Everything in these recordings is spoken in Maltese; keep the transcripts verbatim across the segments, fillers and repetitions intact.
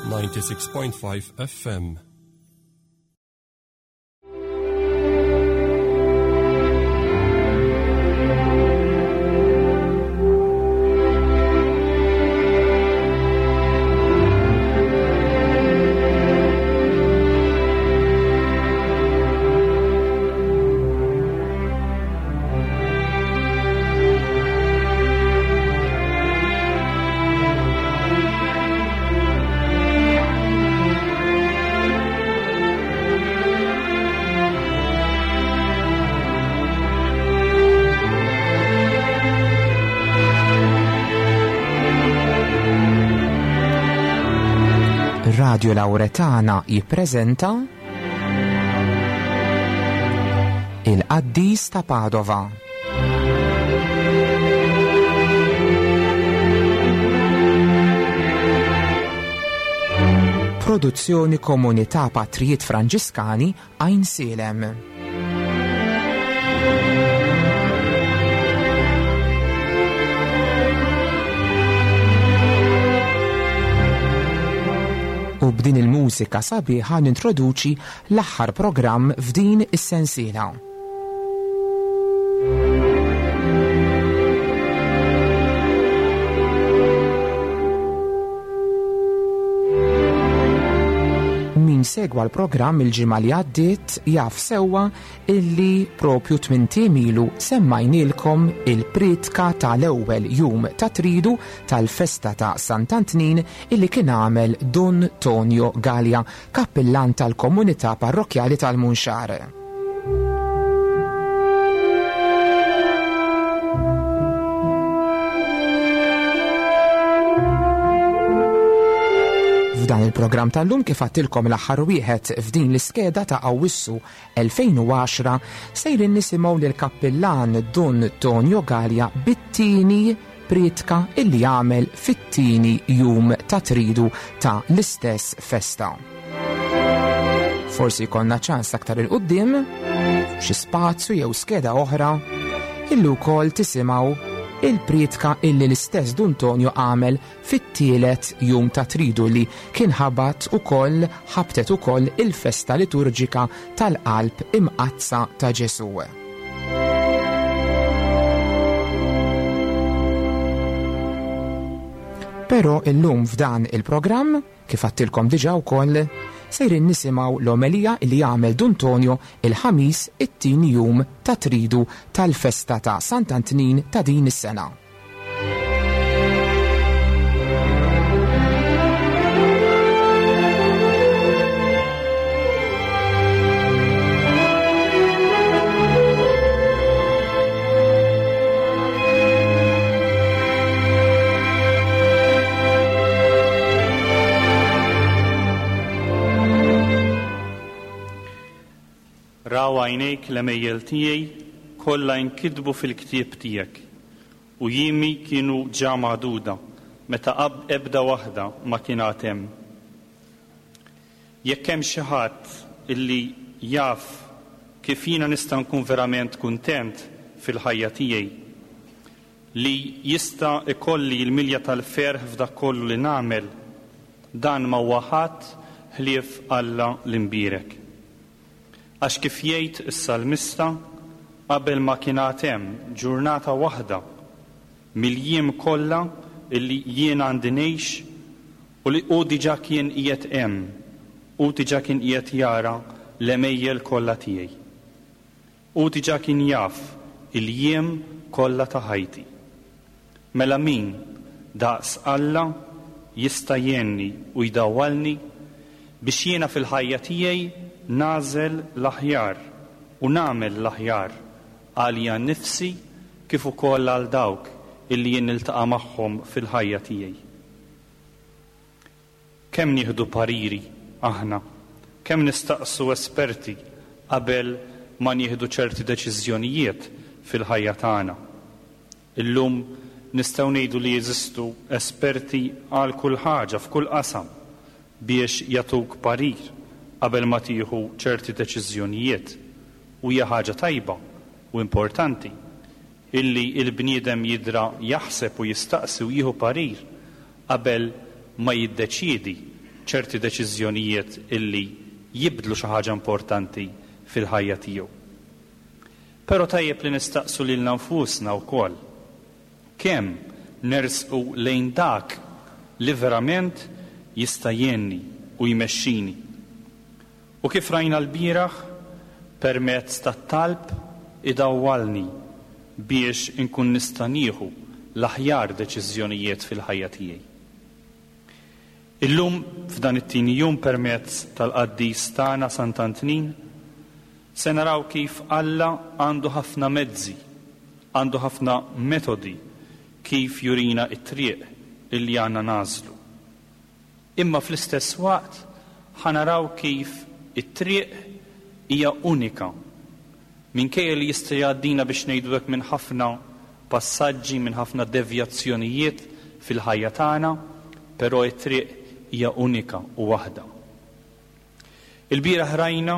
ninety-six point five F M. Radio Lauretana jippreżenta Il-Qaddis ta' Padova. Produzzjoni Komunità Patrijiet Franġiskani Għajnsielem. U b'din il-mużika sabiħa nintroduċi l-aħħar programm f'din is-sensiela. Min segwa l-programm il-ġimgħa li għaddiet jaf sewwa illi propju tmien ilu semmajnilkom il-pritka tal-ewwel jum ta' tridu tal-festa ta' Sant'Antnin illi kien għamel Dun Tonio Galea, kappillan tal-komunità parrokkjali tal-Munxar. F'dan il-programm tal-lum kif għattilkom l-aħħar wieħed f'din l-iskeda ta' Awwissu elfejn u għaxra sejrin nisimgħu lil kappillan Dun Tonio Galea bit-tieni pritka illi għamel fit-tieni jum ta' tridu ta' l-istess festa. Forsi jkollna ċans aktar il-qudiem xi spazju jew skeda oħra illi wkoll tisimgħu il-pritka illi l-istess Dun Tonio għamel fit-tielet jum ta' tridu li kien ħabat ukoll, ħabtet ukoll il-festa liturġika tal-Qalb Imqaddsa ta' Ġesù. Però illum f'dan il-programm, kif għattilkom diġà wkoll, sejrin nisimgħu l-omelija li għamel Dun Tonio il-ħamis it-tieni jum ta' tridu tal-festa ta' Sant'Antnin ta' din is-sena. Raw għajnejk l-għemejjel tiegħi kollha jinkitbu fil-ktieb tiegħek, u jiemi kienu ġa magħduda meta ab-, ebda waħda ma kien għad hemm. Jekk hemm xi ħadd illi jaf kif jiena nista' nkun verament kuntent fil-ħajja tiegħi, li jista' ikolli l-milja tal-ferħ f'dak kollu li nagħmel, dan ma huwa ħadd ħlief Alla l-imbierek. Għax kif jgħid is-salmista, qabel ma kien għad hemm ġurnata waħda mill-jiem kollha illi jien għandi ngħix u li hu diġà kien qiegħed hemm, hu diġà kien qiegħed jara l-għemejjel kollha tiegħi. Hu diġà kien jaf il-jiem kollha ta' ħajti. Mela min daqs Alla jista' jgħinni u jdawwalni biex jiena fil-ħajja tiegħi nagħżel l-aħjar u nagħmel l-aħjar għalija nnifsi kif ukoll għal dawk illi jien niltaqa' magħhom fil-ħajja tiegħi. Kemm nieħdu pariri aħna, kemm nistaqsu esperti qabel ma nieħdu ċerti deċiżjonijiet fil-ħajja tagħna. Illum nistgħu ngħidu li jeżistu esperti għal kull ħaġa f'kull qasam biex jagħtuk parir qabel ma tieħu ċerti deċiżjonijiet, u hija ħaġa tajba u importanti illi il-bniedem jidra jaħseb u jistaqsi u jieħu parir qabel ma jiddeċiedi ċerti deċiżjonijiet illi jibdlu xi ħaġa importanti fil-ħajja tiegħu. Però tajjeb li nistaqsu lilna nfusna wkoll kemm nersqu lejn dak li verament jista' jgħinni u jmexxini. U kif rajna l-bieraħ, permezz tat-talb idawwalni biex inkun nista' nieħu l-aħjar deċiżjonijiet fil-ħajja tiegħi. Illum f'dan it-tieni jum permezz tal-qaddis tagħna Sant'Antnin se naraw kif Alla għandu ħafna mezzi, għandu ħafna metodi kif jurina t-triq illi għandna nagħżlu. Imma fl-istess waqt ħa naraw kif it-triq hija unika. Minkejja li jista' jgħaddina biex ngħidu hekk minn ħafna passaġġi, minn ħafna devjazzjonijiet fil-ħajja tagħna, però t-triq hija unika u waħda. Il-bieraħ rajna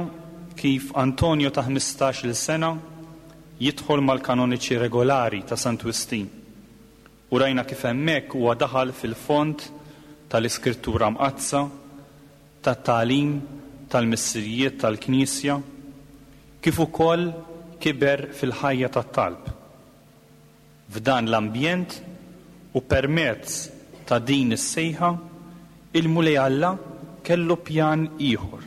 kif Antonio ta' ħmistax-il sena jidħol mal-kanoniċi regolari ta' Sant Wistin. U rajna kif hemmhekk huwa daħal fil-fond tal-Iskrittura Mqaddsa, tat-tagħlim tal-missirijiet tal-Knisja, kif ukoll kiber fil-ħajja tat-talb. F'dan l-ambjent u permezz ta' din is-sejħa, il-Mulej Alla kellu pjan ieħor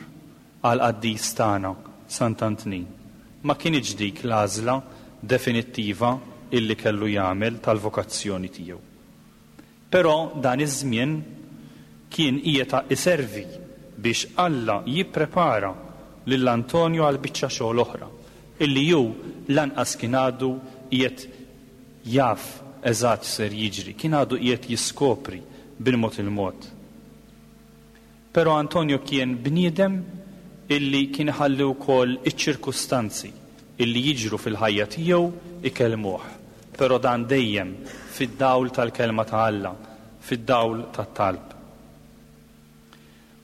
għall-qaddis tagħna Sant'Antnin. Ma kinitx dik l-għażla definittiva illi kellu jagħmel tal-vokazzjoni tiegħu. Però dan iż-żmien kien qiegħed iservi biex Alla jipprepara lil Antonio għal biċċa xogħol oħra illi hu lanqas kien għadu qiegħed jaf eżatt ser jiġri, kien għadu qiegħed jiskopri bil-mod il-mod. Però Antonio kien bniedem illi kien iħalli wkoll iċ-ċirkustanzi illi jiġru fil-ħajja tiegħu ikellmuh, però dan dejjem fid-dawl tal-kelma ta' Alla, fid-dawl tat-talb.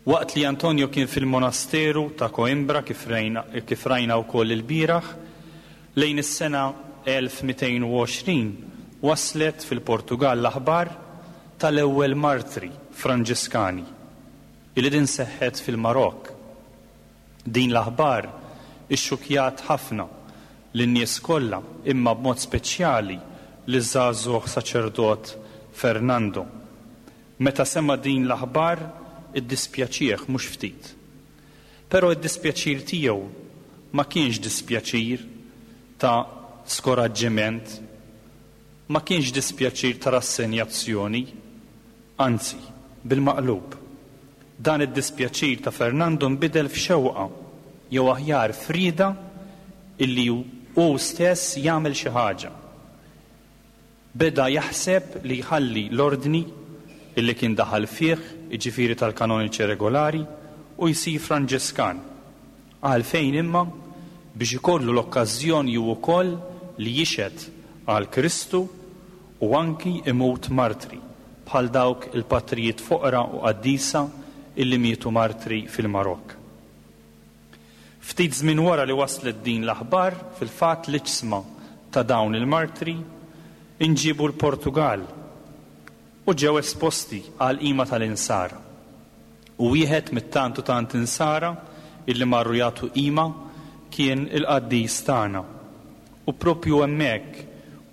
Waqt li Antonio kien fil-monasteru ta' Coimbra kif rajna, kif rajna wkoll il-bieraħ, lejn is-sena elf mitejn u għoxrin waslet fil-Portugal l-aħbar tal-ewwel martri Franġiskani illi din seħħet fil-Marokk. Din l-aħbar ixxukjat ħafna lin-nies kollha, imma b'mod speċjali liż-żagħżugħ saċerdot Fernando. Meta sema' din l-aħbar iddispjaċih mhux ftit. Però id-dispjaċir tiegħu ma kienx dispjaċir ta' skoraġġiment, ma kienx dispjaċir ta' rassenjazzjoni, anzi, bil-maqlub. Dan id-dispjaċir ta' Fernando nbidel f'xewqa, jew aħjar frida, illi hu stess jagħmel xi ħaġa. Beda jaħseb li jħalli l-ordni illi kien daħal fih, jiġifieri tal-kanoniċi regolari, u jsir Franġiskan. Għalfejn imma? Biex ikollu l-okkażjoni hu wkoll li jixhed għal Kristu u anki imut martri, bħal dawk il-patrijiet foqra u qaddisa illi mietu martri fil-Marokk. Ftit żmien wara li waslet din l-aħbar, fil-fatt l-iġsma ta' dawn il-martri inġibu l-Portugal u ġew esposti għal qima tal-insara. U wieħed mit-tant u tant insara illi marru jagħtu qima kien il-qaddis tagħna. U propju hemmhekk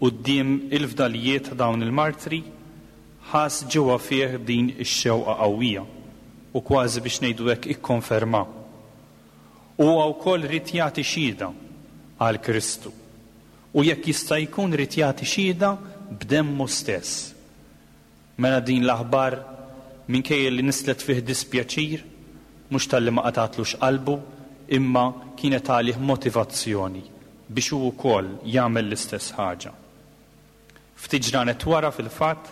quddiem il-fdalijiet ta' dawn il-martri ħass ġewwa fih din ix-xewqa qawwija u kważi biex ngħidu hekk ikkonferma. U huwa wkoll ried jagħti xhieda għal Kristu. U jekk jista' jkun ried jagħti xhieda b'demmu stess. Mela din l-aħbar minkejja li nislet fih dispjaċir, mhux talli ma qatatlux qalbu, imma kienet għalih motivazzjoni biex hu wkoll jagħmel l-istess ħaġa. Ftit ġranet wara fil-fatt,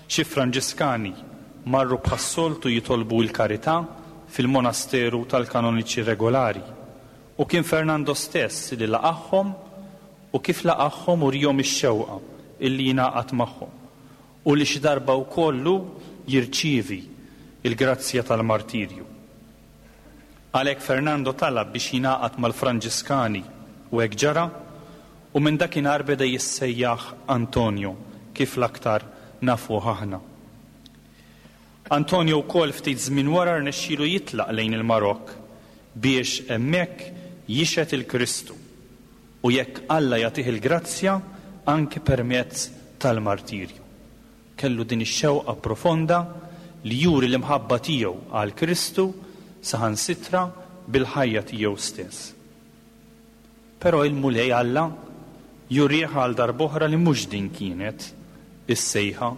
xi Franġiskani marru bħas-soltu jitolbu l-karità fil-monasteru tal-kanoniċi regolari. U kien Fernando stess li laqagħhom u kif laqagħhom urihom ix-xewqa illi jingħaqad magħhom u li xi darba wkoll hu jirċievi il-grazzja tal-martirju. Għalhekk Fernando talab biex jingħaqad mal-Franġiskani u hekk ġara, u minn dakinhar beda jissejjaħ Antonio kif l-aktar nafuh aħna. Antonio wkoll ftit żmien wara rnexxielu jitlaq lejn il-Marokk biex hemmhekk jixhed il-Kristu u jekk Alla jagħtih il-grazzja anke permezz tal-martirju. Kellu din ix-xewqa profonda li juri l-imħabba tiegħu għal Kristu saħansitra bil-ħajja tiegħu stess. Però il-Mulej Alla jurih għal darb'oħra li mhux din kienet is-sejħa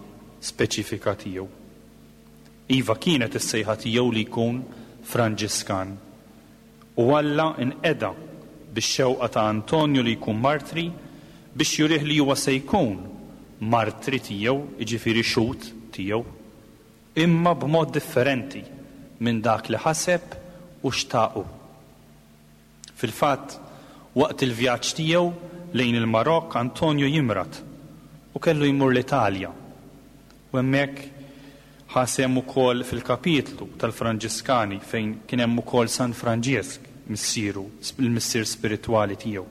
speċifika tiegħu. Iva, kienet is-sejħa tiegħu li jkun Franġiskan. U Alla inqeda bix-xewqa ta' Antonio li jkun martri biex jurih li huwa se jkun martri tiegħu, jiġifieri xhud tiegħu, imma b'mod differenti minn dak li ħaseb u xtaqu. Fil-fatt, waqt il-vjaġġ tiegħu lejn il-Marokk, Antonio jimrad u kellu jmur l-Italja. U hemmhekk ħa sehem ukoll fil-kapitlu tal-Franġiskani fejn kien hemm ukoll San Franġisk, missieru, il-missier spiritwali tiegħu.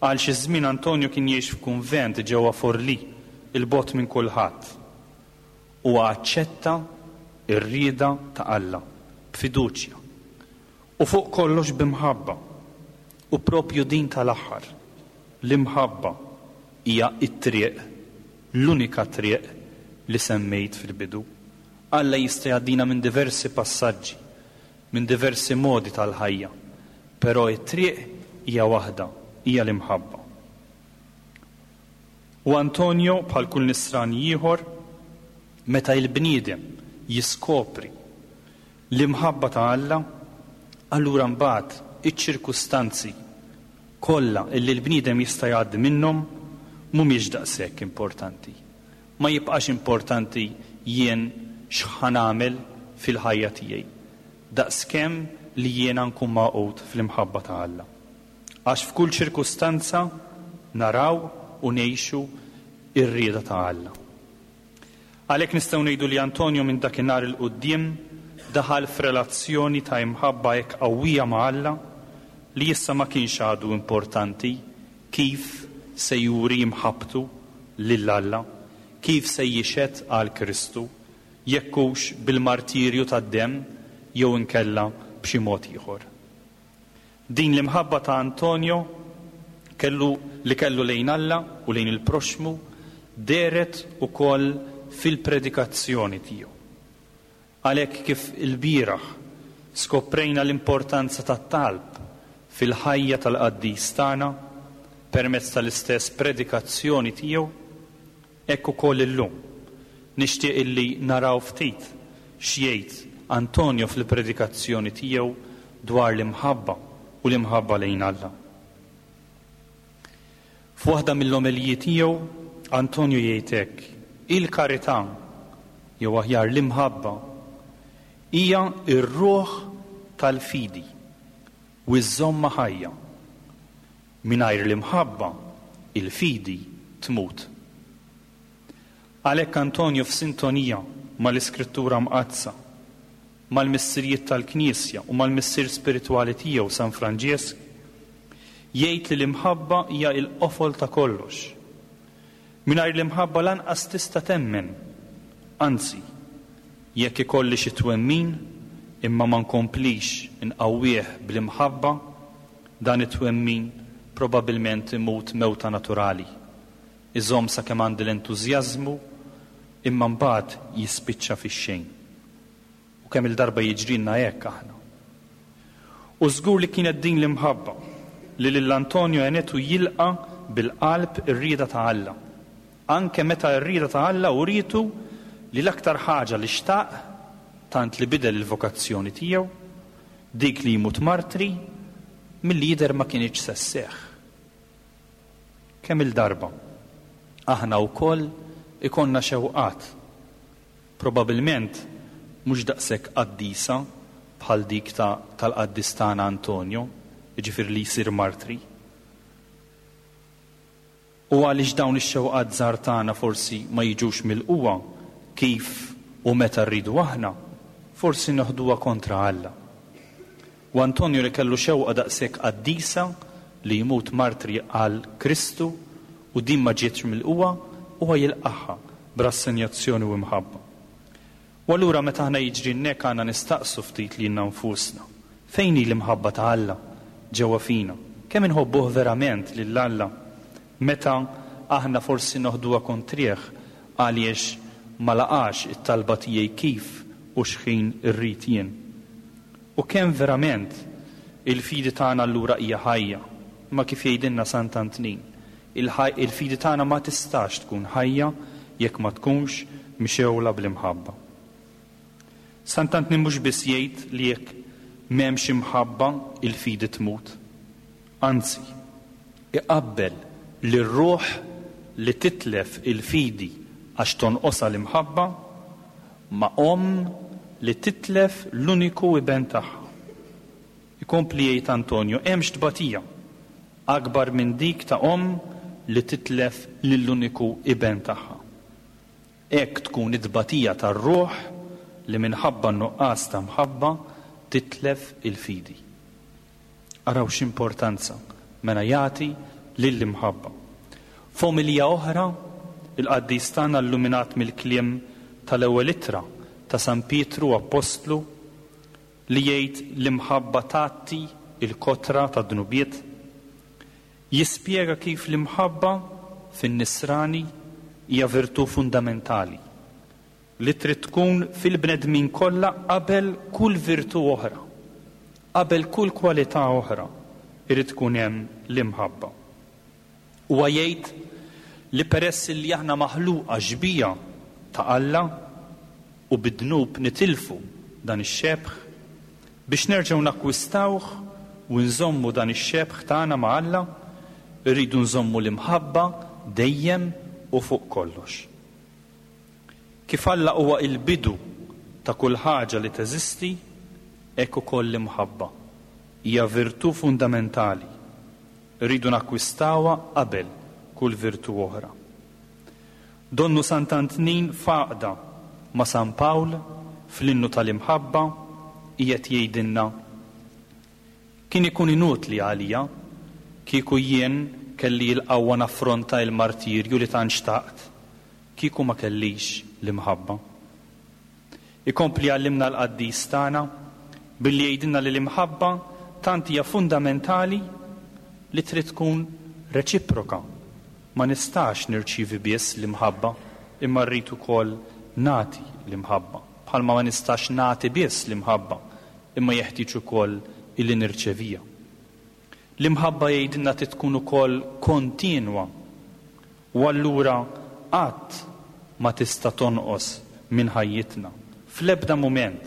Għal xi żmien Antonio kien jgħix f'kunvent ġewwa Forlì, il-bogħod minn kulħadd. U aċċetta r-rieda ta' Alla b'fiduċja u fuq kollox b'imħabba. U propju din tal-aħħar, l-imħabba, hija t-triq, l-unika triq li semmejt fil-bidu. Alla jista' jgħaddina minn diversi passaġġi, minn diversi modi tal-ħajja, però t-triq hija waħda, hija l-imħabba. U Antonio, bħal kull nisrani ieħor, meta il-bniedem jiskopri l-imħabba ta' Alla, allura mbagħad iċ-ċirkustanzi kollha illi l-bniedem jista' jgħaddi minnhom mhumiex daqshekk importanti. Ma jibqax importanti jien x'ħa nagħmel fil-ħajja tiegħi, daqskemm li jiena nkun magħqud fl-imħabba ta' Alla. Għax f'kull ċirkustanza naraw u ngħixu r-rieda ta' Alla. Għalhekk nistgħu ngħidu li Antonio minn dakinhar il quddiem daħal f'relazzjoni ta' imħabba hekk qawwija ma' Alla li issa ma kienx għadu importanti kif se juri imħabbtu lil Alla, kif se jixhed għal Kristu, jekk hux bil-martirju tad-demm jew inkella b'xi mod ieħor. Din l-imħabba ta' Antonio kellu li kellu lejn Alla u lejn il-proxmu dehret ukoll fil-predikazzjoni tiegħu. Għalhekk kif il-bieraħ skoprejna l-importanza tat-talb fil-ħajja tal-qaddis tagħna permezz tal-istess predikazzjoni tiegħu, hekk ukoll illum nixtieq illi naraw ftit x'jgħid Antonio fil-predikazzjoni tiegħu dwar l-imħabba u l-imħabba lejn Alla. F'waħda mill-omeliji tiegħu Antonio jgħid hekk: il-karità, jew aħjar l-imħabba, hija r-ruħ tal-fidi u żżommha ħajja. Mingħajr l-imħabba, il-fidi tmut. Għalhekk Antonio f'sintonija mal-Iskrittura Mqaddsa, mal-missirijiet tal-Knisja u mal-missier spiritwali tiegħu San Franġisk, jgħid li l-imħabba hija l-qofol ta' kollox. Mingħajr l-imħabba lanqas tista' temmen. Anzi, jekk ikolli xi twemmin imma ma nkomplix inqawwih bl-imħabba, dan it-twemmin probabilment imut mewta naturali. Iżomm sakemm għandi l-entużjażmu imma mbagħad jispiċċa fix-xejn. U kemm il-darba jiġrilna hekk aħna. U żgur li kienet din l-imħabba li lil Antonio għenetu jilqa' bil-qalb ir-rieda ta' Alla. Anke meta r-rieda ta' Alla uritu li l-aktar ħaġa li xtaq, tant li bidel il-vokazzjoni tiegħu, dik li jmut martri, milli jidher ma kienx se sseħħ. Kemm il-darba aħna wkoll ikonna xewqat, probabilment mhux daqshekk qaddisa bħal dik ta' tal-qaddis tagħna Antonio, jiġifieri li jsir martri. U għaliex dawn ix-xewqat żgħar tagħna forsi ma jiġux mill-qwa kif u meta rridu aħna, forsi noħduha kontra Alla. U Antonio li kellu xewqa daqshekk qaddisa li jmut martri għal Kristu u din ma ġietx mill-qwa, huwa jilqaħħa b'rassenjazzjoni u imħabba. U allura meta aħna jiġri hekk għandna nistaqsu ftit lilna nfusna. Fejn hi l-imħabba ta' Alla ġewwa fina? Kemm inħobbuh verament lil Alla meta aħna forsi noħduha kontrih għaliex ma laqax it-talba tiegħi kif u x'ħin irrid jien. U kemm verament il-fidi tagħna allura hija ħajja, ma kif jgħidilna Sant'Antnin, il-fidi tagħna ma tistax tkun ħajja jekk ma tkunx mxewla bl-imħabba. Sant'Antnin mhux biss jgħid li jekk m'hemmx imħabba il-fidi tmut. Anzi, iqabbel lir-ruħ li titlef il-fidi għax tonqosha l-imħabba ma' omm li titlef l-uniku iben tagħha. Ikompli jgħid Antonio, hemmx tbatija akbar minn dik ta' omm li titlef lill-uniku iben tagħha. Hekk tkun it-tbatija tar-ruħ li minħabba n-nuqqas ta' mħabba titlef il-fidi. Araw x'importanza mela jagħti lill-imħabba. F'omelija oħra, il-qaddis tagħna illuminat mill-kliem tal-ewwel ittra ta' San Pietru Appostlu li jgħid l-imħabba tgħatti il-kotra ta' dnubiet, jispjega kif l-imħabba fin-nisrani hija virtù fundamentali li trid tkun fil-bnedmin kollha qabel kull virtù oħra, qabel kull kwalità oħra irid tkun hemm l-imħabba. Huwa jgħid li peress li aħna maħluqa xbieha ta' Alla u bid-dnub nitilfu dan ix-xebh, biex nerġgħu nakkwistawh u nżommu dan ix-xebh tagħna ma' Alla, irridu nżommu l-imħabba dejjem u fuq kollox. Kif Alla huwa il-bidu ta' kull ħaġa li teżisti, hekk ukoll l-imħabba hija virtù fundamentali. Irridu nakkwistawha qabel kull virtù oħra. Donnu Sant'Antnin f'għaqda ma' San Pawl fl-innu tal-imħabba qiegħed jgħidilna: kien ikun inutli għalija kieku jien kelli l-qawwa naffronta il-martirju li tant xtaqt, kieku ma kellix l-imħabba. Ikompli għallimna l-qaddis tagħna billi jgħidilna li l-imħabba tant hija fundamentali li trid tkun reċiproka. Ma nistax nirċievi biss l-imħabba, imma rrid ukoll nagħti l-imħabba. Bħalma ma nistax nagħti biss l-imħabba, imma jeħtieġ ukoll illi nirċevija. L-imħabba jgħidilna trid tkun ukoll kontinwa, u allura qatt ma tista' tonqos minn ħajjitna fl-ebda mument,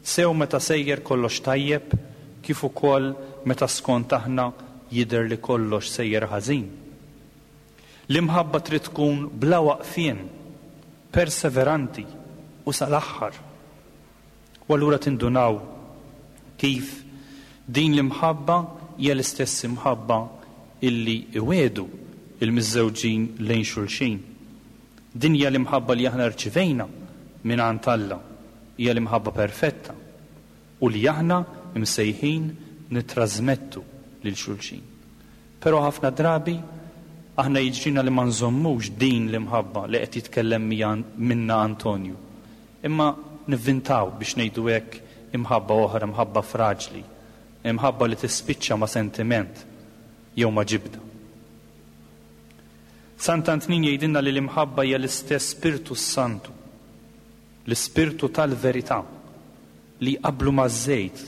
sew meta sejjer kollox tajjeb, kif ukoll meta skont aħna jidher li kollox sejjer ħażin. L-imħabba trid tkun bla waqfien, perseveranti u sal-aħħar. U allura tindunaw kif din l-imħabba hija l-istess imħabba illi iwedu il-miżżewġin lejn xulxin. Din hija l-imħabba li aħna rċivejna minn għand Alla, hija l-imħabba perfetta u li aħna msejħin nittrażmettu lil xulxin. Però ħafna drabi aħna jiġrina li ma nżommux din l-imħabba li qed jitkellem minna Antonju, imma nivvintaw biex ngħidu hekk imħabba oħra, imħabba fraġli, imħabba li tispiċċa ma' sentiment jew ma' ġibda. Sant'Antnin jgħidilna li l-imħabba hija l-istess Spirtu Santu, l-Ispirtu tal-verità, li jqablu maż-żejt,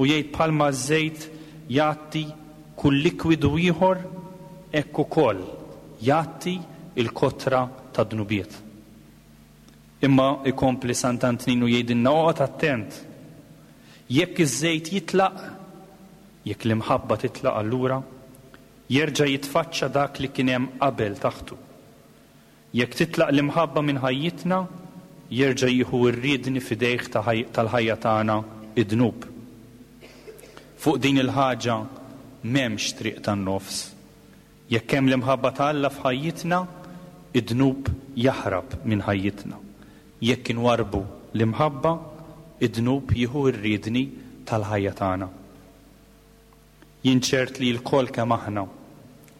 u jgħid bħalma ż-żejt jgħatti kull likwidu ieħor, hekk ukoll jgħatti il-kotra ta' dnubiet. Imma ikompli Sant'Antnin u jgħidilna oqgħod attent, jekk iż-żejt jitlaq, jekk l-imħabba titlaq allura, jerġa' jitfaċċa dak li kien hemm qabel taħtu. Jekk titlaq l-imħabba minn ħajjitna, jerġa' jieħu r-riedni f'idejh tal-ħajja tagħna id-dnub. Fuq din il-ħaġa m'hemmx triq tan-nofs. Jekk hemm l-imħabba ta' Alla f'ħajjitna, id-dnub jaħrab minn ħajjitna. Jekk inwarbu l-imħabba, id-dnub jieħu r-riedni tal-ħajja tagħna. Jien ċert li l-kol kemm aħna,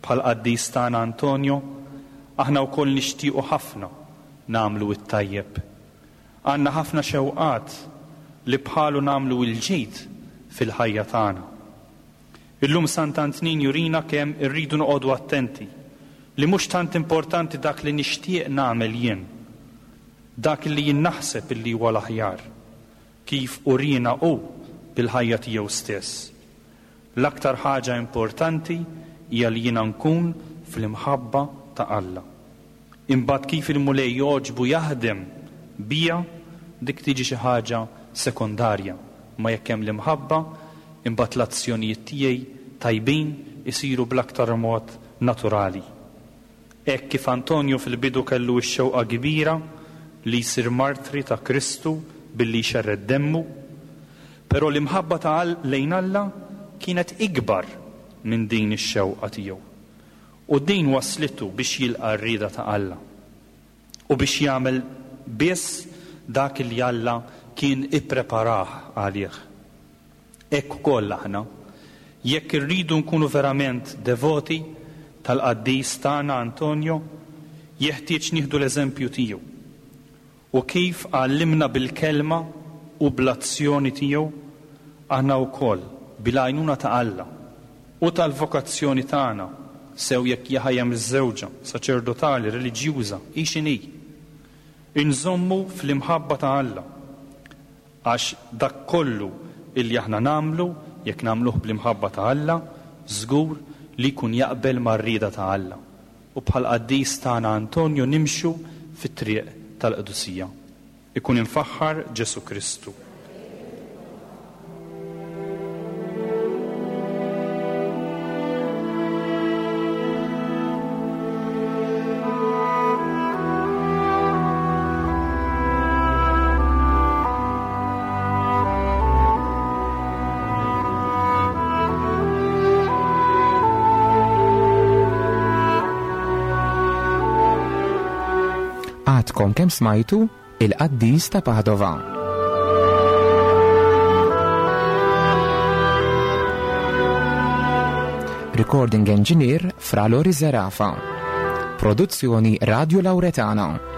bħal qaddis tagħna Antonio, aħna wkoll nixtiequ ħafna nagħmlu t-tajjeb. Għandna ħafna xewqat li bħalu nagħmlu l-ġid fil-ħajja tagħna. Illum Sant'Antnin jurina kemm irridu noqogħdu attenti li mhux tant importanti dak li nixtieq nagħmel jien, dak li jien naħseb illi huwa l-aħjar, kif urina hu bil-ħajja tiegħu stess. L-aktar ħaġa importanti hija li jiena nkun fl-imħabba ta' Alla. Imbagħad kif il-Mulej jogħġbu jaħdem bija, dik tiġi xi ħaġa sekondarja, ma jekk hemm l-imħabba, imbagħad l-azzjonijiet tiegħi tajbin isiru bl-aktar mod naturali. Hekk kif Antonio fil-bidu kellu x-xewqa kbira li jsir martri ta' Kristu billi jxerred demmu, però l-imħabba ta' lejn Alla kienet ikbar minn din ix-xewqa tiegħu. U din waslitu biex jilqa' r-rieda ta' Alla u biex jagħmel biss dak li Alla kien ippreparah għalih. Hekk ukoll aħna, jekk irridu nkunu verament devoti tal-qaddis tagħna Antonio, jeħtieġ nieħdu l-eżempju tiegħu. U kif għallimna bil-kelma u bl-azzjoni tiegħu, aħna wkoll bil-għajnuna ta' Alla u tal-vokazzjoni tagħna, sew jekk hija ħajja miżżewġa, saċerdotali, reliġjuża, hi x'inhi, inżommu fl-imħabba ta' Alla, għax dak kollu illi aħna nagħmlu, jekk nagħmluh bl-imħabba ta' Alla, żgur li jkun jaqbel mar-rieda ta' Alla. U bħal qaddis tagħna Antonio nimxu fit-triq tal-qdusija. Ikun imfaħħar Ġesu Kristu. Għadkom kemm smajtu il-Qaddis ta' Padova. Recording Engineer Fra Lori Zerafa. Produzzjoni Radio Lauretana.